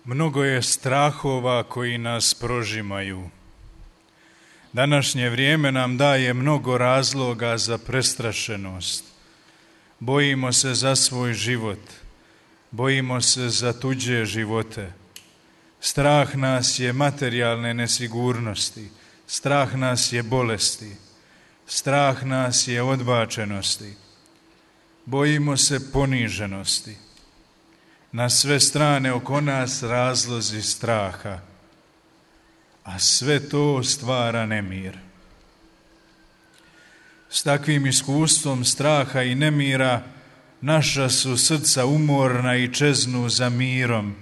Mnogo je strahova koji nas prožimaju. Današnje vrijeme nam daje mnogo razloga za prestrašenost. Bojimo se za svoj život, bojimo se za tuđe živote. Strah nas je materijalne nesigurnosti, strah nas je bolesti, strah nas je odbačenosti. Bojimo se poniženosti. Na sve strane oko nas razlozi straha, a sve to stvara nemir. S takvim iskustvom straha i nemira naša su srca umorna i čeznu za mirom,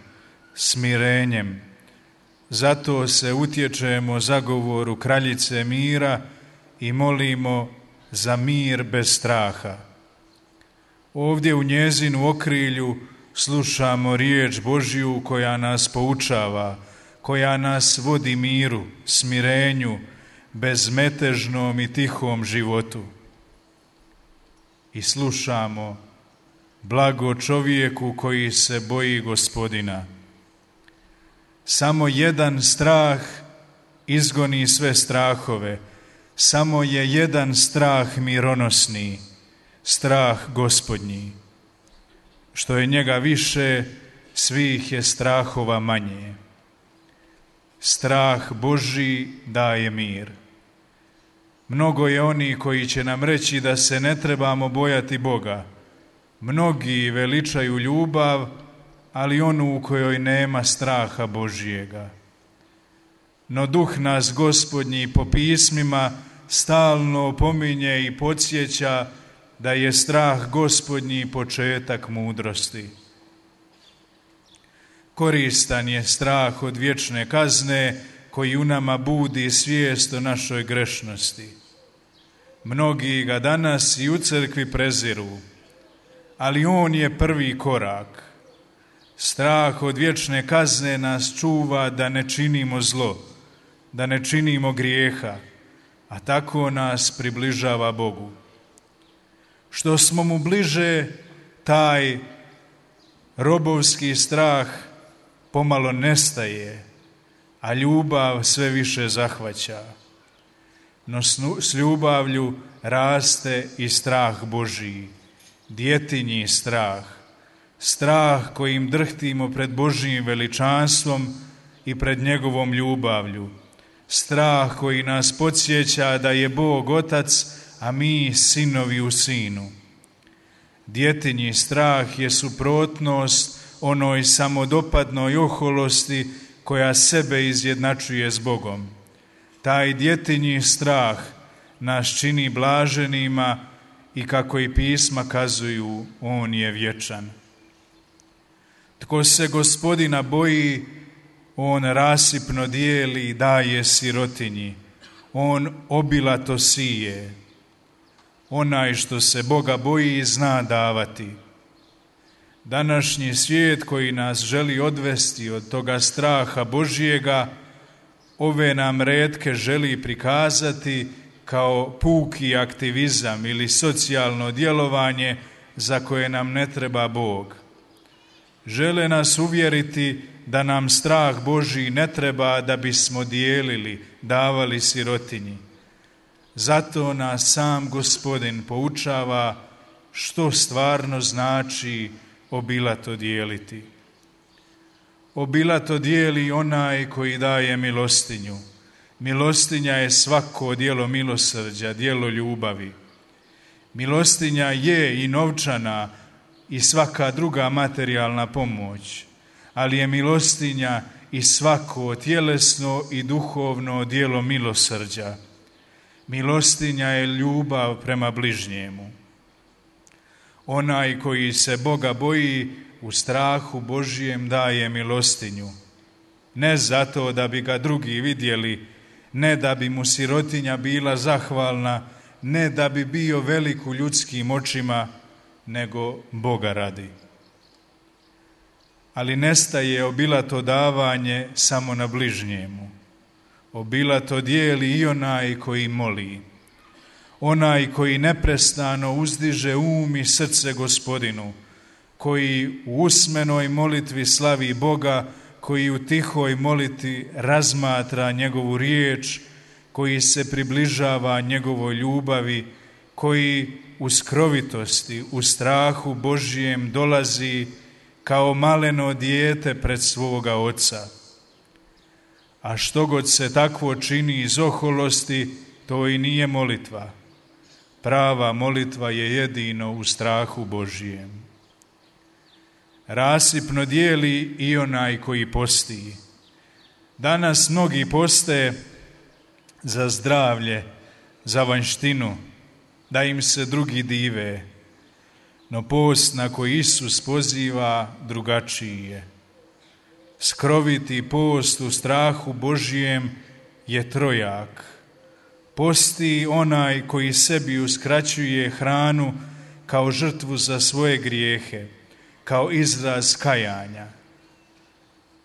smirenjem. Zato se utječemo zagovoru kraljice mira i molimo za mir bez straha. Ovdje u njezinu okrilju slušamo riječ Božju koja nas poučava, koja nas vodi miru, smirenju, bezmetežnom i tihom životu. I slušamo: blago čovjeku koji se boji Gospodina. Samo jedan strah izgoni sve strahove, samo je jedan strah mironosni, strah Gospodnji. Što je njega više, svih je strahova manje. Strah Božji daje mir. Mnogo je oni koji će nam reći da se ne trebamo bojati Boga. Mnogi veličaju ljubav, ali onu u kojoj nema straha Božjega. No duh nas Gospodnji po pismima stalno opominje i podsjeća da je strah Gospodnji početak mudrosti. Koristan je strah od vječne kazne koji u nama budi svijest o našoj grešnosti. Mnogi ga danas i u crkvi preziru, ali on je prvi korak. Strah od vječne kazne nas čuva da ne činimo zlo, da ne činimo grijeha, a tako nas približava Bogu. Što smo mu bliže, taj robovski strah pomalo nestaje, a ljubav sve više zahvaća. No s ljubavlju raste i strah Božji, djetinji strah, strah kojim drhtimo pred Božjim veličanstvom i pred njegovom ljubavlju, strah koji nas podsjeća da je Bog Otac, a mi sinovi u Sinu. Djetinji strah je suprotnost onoj samodopadnoj oholosti koja sebe izjednačuje s Bogom. Taj djetinji strah nas čini blaženima i kako i pisma kazuju, on je vječan. Tko se Gospodina boji, on rasipno dijeli i daje sirotinji. On obilato sije. Onaj što se Boga boji zna davati. Današnji svijet koji nas želi odvesti od toga straha Božjega, ove nam retke želi prikazati kao puki aktivizam ili socijalno djelovanje za koje nam ne treba Bog. Žele nas uvjeriti da nam strah Božji ne treba da bismo dijelili, davali sirotinji. Zato nas sam Gospodin poučava što stvarno znači obilato dijeliti. Obilato dijeli onaj koji daje milostinju. Milostinja je svako djelo milosrđa, djelo ljubavi. Milostinja je i novčana i svaka druga materijalna pomoć, ali je milostinja i svako tjelesno i duhovno djelo milosrđa. Milostinja je ljubav prema bližnjemu. Onaj koji se Boga boji u strahu Božjem daje milostinju. Ne zato da bi ga drugi vidjeli, ne da bi mu sirotinja bila zahvalna, ne da bi bio velik u ljudskim očima, nego Boga radi. Ali nestaje obilato davanje samo na bližnjemu. Obilato dijeli i onaj koji moli. Onaj koji neprestano uzdiže um i srce Gospodinu, koji u usmenoj molitvi slavi Boga, koji u tihoj moliti razmatra njegovu riječ, koji se približava njegovoj ljubavi, koji u skrovitosti, u strahu Božjem dolazi kao maleno dijete pred svoga Oca. A što god se takvo čini iz oholosti, to i nije molitva. Prava molitva je jedino u strahu Božjem. Rasipno dijeli i onaj koji posti. Danas mnogi poste za zdravlje, za vanjštinu, da im se drugi dive, no post na koji Isus poziva drugačiji je. Skroviti post u strahu Božjem je trojak. Posti onaj koji sebi uskraćuje hranu kao žrtvu za svoje grijehe, kao izraz kajanja.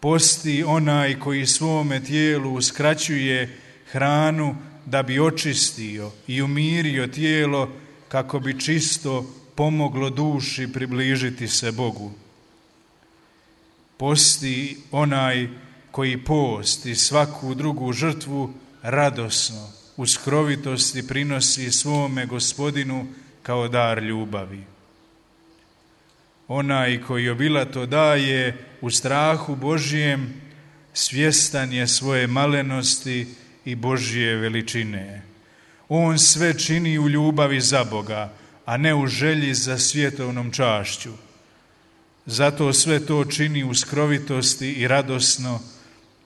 Posti onaj koji svome tijelu uskraćuje hranu da bi očistio i umirio tijelo kako bi čisto pomoglo duši približiti se Bogu. Posti onaj koji post i svaku drugu žrtvu radosno, u skrovitosti prinosi svome Gospodinu kao dar ljubavi. Onaj koji obilato daje u strahu Božjem, svjestan je svoje malenosti i Božje veličine. On sve čini u ljubavi za Boga, a ne u želji za svjetovnom čašću. Zato sve to čini u skrovitosti i radosno,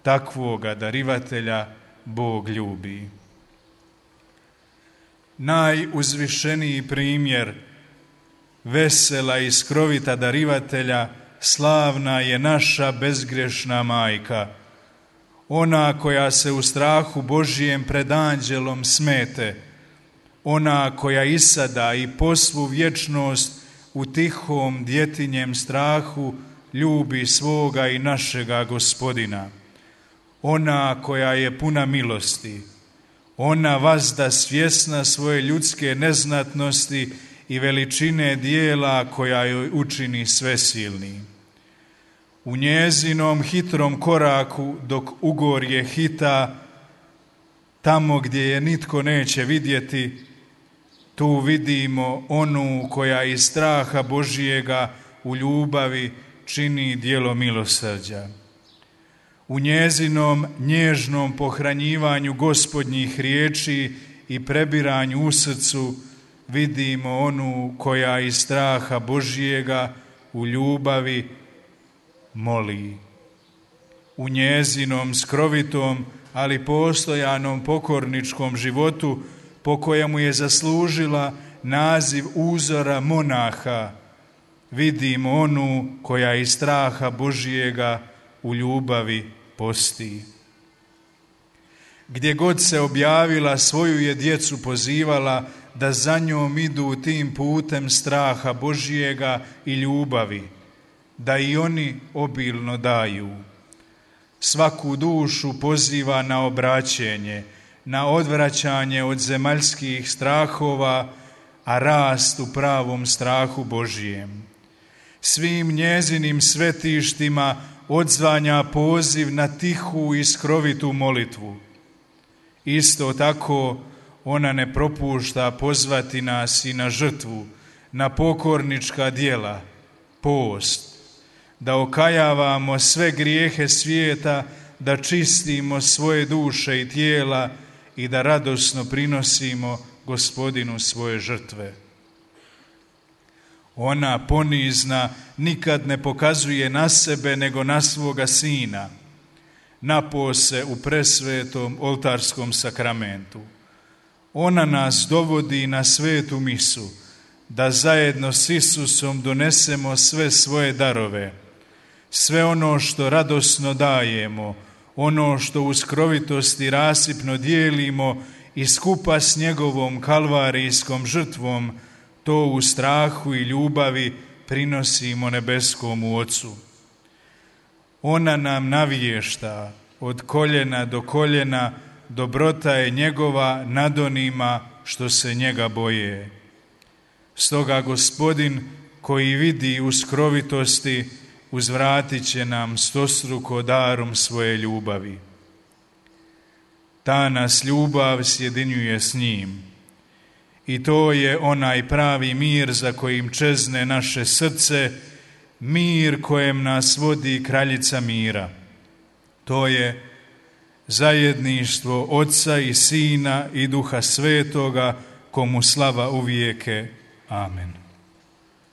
takvoga darivatelja Bog ljubi. Najuzvišeniji primjer vesela i skrovita darivatelja slavna je naša bezgrešna majka, ona koja se u strahu Božjem pred anđelom smete, ona koja isada i po svu vječnost u tihom djetinjem strahu ljubi svoga i našega Gospodina, ona koja je puna milosti, ona vazda svjesna svoje ljudske neznatnosti i veličine dijela koja joj učini svesilni. U njezinom hitrom koraku dok ugorje hita, tamo gdje je nitko neće vidjeti, tu vidimo onu koja iz straha Božijega u ljubavi čini djelo milosrđa. U njezinom nježnom pohranjivanju Gospodnjih riječi i prebiranju u srcu vidimo onu koja iz straha Božijega u ljubavi moli. U njezinom skrovitom, ali postojanom pokorničkom životu, po kojemu je zaslužila naziv uzora monaha, vidimo onu koja iz straha Božijega u ljubavi posti. Gdje god se objavila, svoju je djecu pozivala da za njom idu tim putem straha Božijega i ljubavi, da i oni obilno daju. Svaku dušu poziva na obraćenje, na odvraćanje od zemaljskih strahova, a rast u pravom strahu Božijem. Svim njezinim svetištima odzvanja poziv na tihu i skrovitu molitvu. Isto tako ona ne propušta pozvati nas i na žrtvu, na pokornička djela, post, da okajavamo sve grijehe svijeta, da čistimo svoje duše i tijela i da radosno prinosimo Gospodinu svoje žrtve. Ona ponizna nikad ne pokazuje na sebe nego na svoga Sina, napose u presvetom oltarskom sakramentu. Ona nas dovodi na svetu misu, da zajedno s Isusom donesemo sve svoje darove, sve ono što radosno dajemo, ono što u skrovitosti rasipno dijelimo i skupa s njegovom kalvarijskom žrtvom, to u strahu i ljubavi prinosimo nebeskomu Ocu. Ona nam navješta od koljena do koljena, dobrota je njegova nad onima što se njega boje. Stoga Gospodin koji vidi u skrovitosti, uzvratit će nam stostruko darom svoje ljubavi. Ta nas ljubav sjedinjuje s njim i to je onaj pravi mir za kojim čezne naše srce, mir kojem nas vodi kraljica mira. To je zajedništvo Oca i Sina i Duha Svetoga, komu slava uvijeke. Amen.